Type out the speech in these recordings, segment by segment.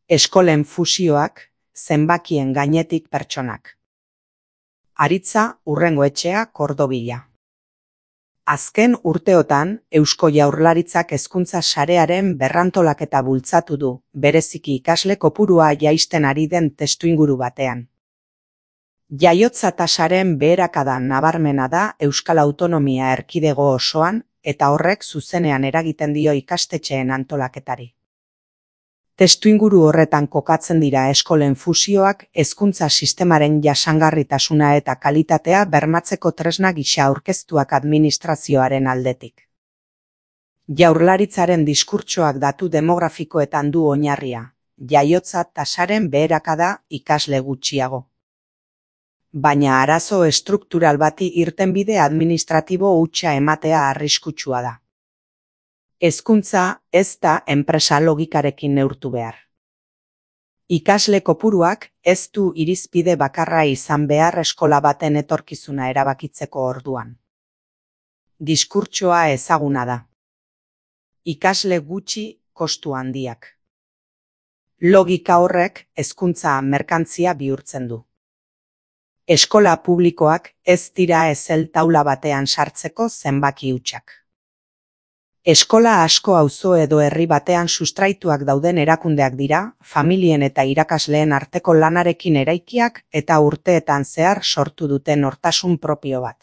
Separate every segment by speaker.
Speaker 1: Eskolen fusioak, zenbakien gainetik pertsonak. Aritza Urrengoetxea Kordobila. Azken urteotan, Eusko Jaurlaritzak hezkuntza sarearen berrantolaketa bultzatu du, bereziki ikasle kopurua jaisten ari den testuinguru batean. Jaiotza tasaren beherakada nabarmena da Euskal Autonomia Erkidego osoan, eta horrek zuzenean eragiten dio ikastetxeen antolaketari. Testuinguru horretan kokatzen dira eskolen fusioak hezkuntza sistemaren jasangarritasuna eta kalitatea bermatzeko tresna gisa aurkeztuak administrazioaren aldetik. Jaurlaritzaren diskurtsoak datu demografikoetan du oinarria, jaiotza tasaren beherakada ikasle gutxiago. Baina arazo estruktural bati irtenbide administratibo hutsa ematea arriskutsua da. Hezkuntza ez da enpresa logikarekin neurtu behar. Ikasle kopuruak ez du irizpide bakarra izan behar eskola baten etorkizuna erabakitzeko orduan. Diskurtsoa ezaguna da. Ikasle gutxi, kostu handiak. Logika horrek hezkuntza merkantzia bihurtzen du. Eskola publikoak ez dira ezel taula batean sartzeko zenbaki hutsak. Eskola asko auzo edo herri batean sustraituak dauden erakundeak dira, familien eta irakasleen arteko lanarekin eraikiak eta urteetan zehar sortu duten nortasun propio bat.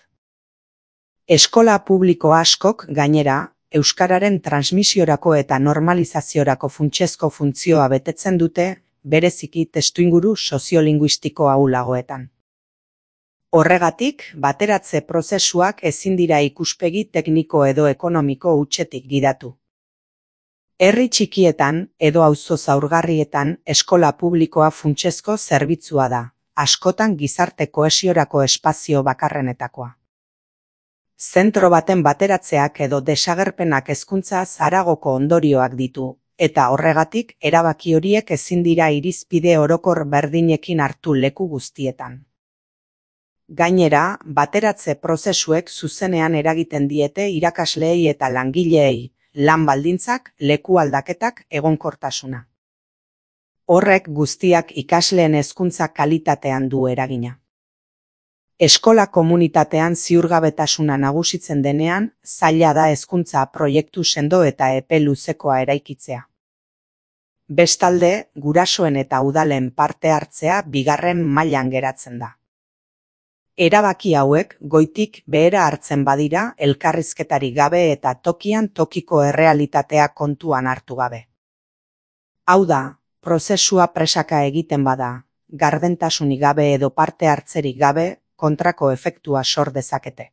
Speaker 1: Eskola publiko askok, gainera, euskararen transmisiorako eta normalizaziorako funtsezko funtzioa betetzen dute, bereziki testuinguru soziolinguistiko ahulagoetan. Horregatik, bateratze prozesuak ezin dira ikuspegi tekniko edo ekonomiko hutsetik gidatu. Herri txikietan edo auzo zaurgarrietan eskola publikoa funtsezko zerbitzua da, askotan gizarte kohesiorako espazio bakarrenetakoa. Zentro baten bateratzeak edo desagerpenak hezkuntzaz haragoko ondorioak ditu, eta horregatik erabaki horiek ezin dira irizpide orokor berdinekin hartu leku guztietan. Gainera, bateratze prozesuek zuzenean eragiten diete irakasleei eta langileei, lan baldintzak, leku aldaketak, egonkortasuna. Horrek guztiak ikasleen hezkuntza kalitatean du eragina. Eskola komunitatean ziurgabetasuna nagusitzen denean, zaila da hezkuntza proiektu sendo eta epe luzekoa eraikitzea. Bestalde, gurasoen eta udalen parte hartzea bigarren mailan geratzen da. Erabaki hauek goitik behera hartzen badira elkarrizketarik gabe eta tokian tokiko errealitatea kontuan hartu gabe. Hau da, prozesua presaka egiten bada, gardentasunik gabe edo parte hartzerik gabe kontrako efektua sor dezakete.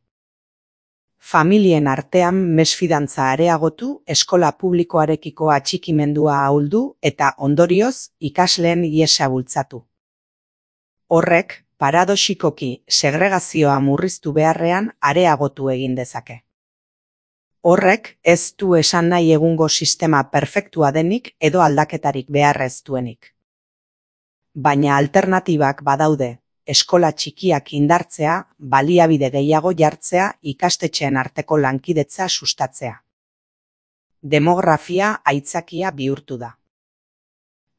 Speaker 1: Familien artean mesfidantza areagotu, eskola publikoarekiko atxikimendua ahuldu eta ondorioz ikasleen ihesa bultzatu. Horrek, paradoxikoki segregazioa murriztu beharrean areagotu egin dezake. Horrek ez du esan nahi egungo sistema perfektua denik edo aldaketarik beharrez duenik. Baina alternatibak badaude, eskola txikiak indartzea, baliabide gehiago jartzea, ikastetxeen arteko lankidetza sustatzea. Demografia aitzakia bihurtu da.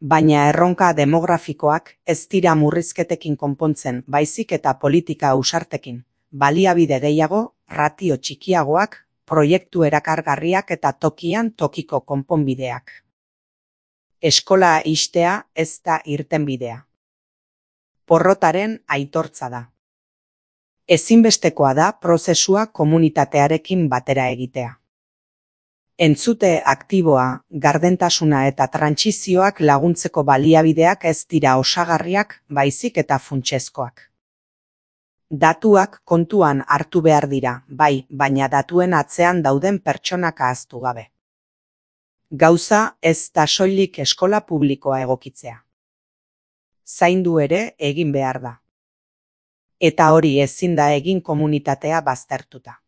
Speaker 1: Baina erronka demografikoak ez dira murrizketekin konpontzen, baizik eta politika ausartekin, baliabide gehiago, ratio txikiagoak, proiektu erakargarriak eta tokian tokiko konponbideak. Eskola ixtea ez da irtenbidea. Porrotaren aitortza da. Ezinbestekoa da prozesua komunitatearekin batera egitea. Entzute aktiboa, gardentasuna eta trantsizioak laguntzeko baliabideak ez dira osagarriak, baizik eta funtsezkoak. Datuak kontuan hartu behar dira, bai, baina datuen atzean dauden pertsonak ahaztu gabe. Gauza ez da soilik eskola publikoa egokitzea. Zaindu ere egin behar da. Eta hori ezin da egin komunitatea baztertuta.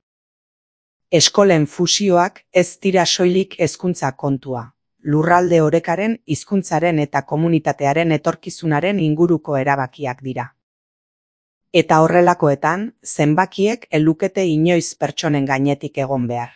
Speaker 1: Eskolen fusioak ez dira soilik hezkuntza kontua, lurralde orekaren, hizkuntzaren eta komunitatearen etorkizunaren inguruko erabakiak dira. Eta horrelakoetan, zenbakiek ez lukete inoiz pertsonen gainetik egon behar.